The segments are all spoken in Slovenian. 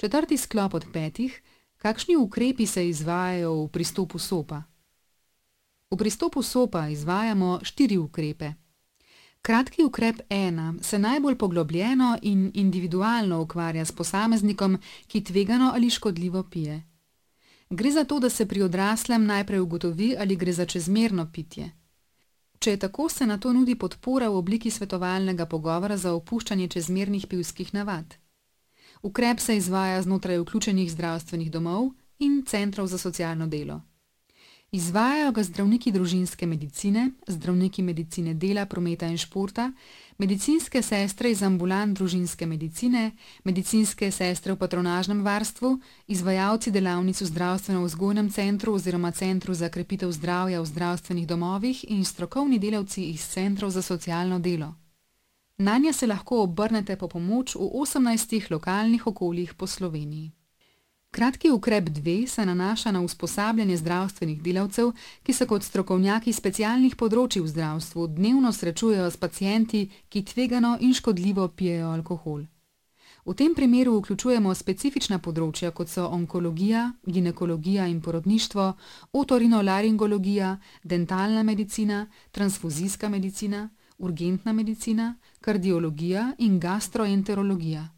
Četrti sklop od 5. Kakšni ukrepi se izvajajo v pristopu SOPA? V pristopu SOPA izvajamo 4 ukrepe. Kratki ukrep 1 se najbolj poglobljeno in individualno ukvarja s posameznikom, ki tvegano ali škodljivo pije. Gre za to, da se pri odraslem najprej ugotovi, ali gre za čezmerno pitje. Če je tako, se nato nudi podpora v obliki svetovalnega pogovora za opuščanje čezmernih pivskih navad. Ukrep se izvaja znotraj vključenih zdravstvenih domov in centrov za socialno delo. Izvajajo ga zdravniki družinske medicine, zdravniki medicine dela, prometa in športa, medicinske sestre iz ambulant družinske medicine, medicinske sestre v patronažnem varstvu, izvajalci delavnic v zdravstveno-vzgojnem centru oziroma centru za krepitev zdravja v zdravstvenih domovih in strokovni delavci iz centrov za socialno delo. Nanje se lahko obrnete po pomoč v 18 lokalnih okoljih po Sloveniji. Kratki ukrep 2 se nanaša na usposabljanje zdravstvenih delavcev, ki se kot strokovnjaki specialnih področij v zdravstvu dnevno srečujejo s pacienti, ki tvegano in škodljivo pijejo alkohol. V tem primeru vključujemo specifična področja, kot so onkologija, ginekologija in porodništvo, otorinolaringologija, dentalna medicina, transfuzijska medicina, urgentna medicina, kardiologija in gastroenterologija.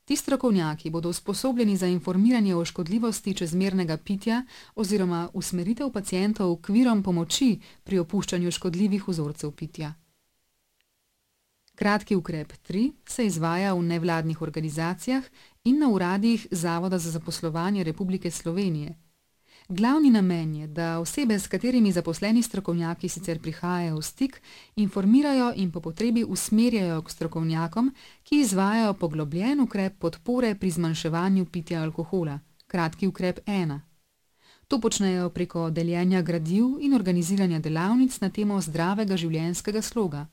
Ti strokovnjaki bodo usposobljeni za informiranje o škodljivosti čezmernega pitja oziroma usmeritev pacientov k virom pomoči pri opuščanju škodljivih vzorcev pitja. Kratki ukrep 3 se izvaja v nevladnih organizacijah in na uradih Zavoda za zaposlovanje Republike Slovenije. Glavni namen je, da osebe, s katerimi zaposleni strokovnjaki sicer prihajajo v stik, informirajo in po potrebi usmerjajo k strokovnjakom, ki izvajajo poglobljen ukrep podpore pri zmanjševanju pitja alkohola, kratki ukrep 1. To počnejo preko deljenja gradiv in organiziranja delavnic na temo zdravega življenjskega sloga.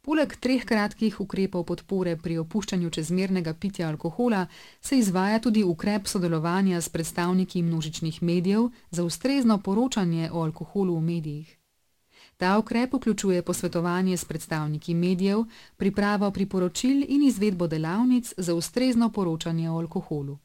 Poleg 3 kratkih ukrepov podpore pri opuščanju čezmernega pitja alkohola se izvaja tudi ukrep sodelovanja s predstavniki množičnih medijev za ustrezno poročanje o alkoholu v medijih. Ta ukrep vključuje posvetovanje s predstavniki medijev, pripravo priporočil in izvedbo delavnic za ustrezno poročanje o alkoholu.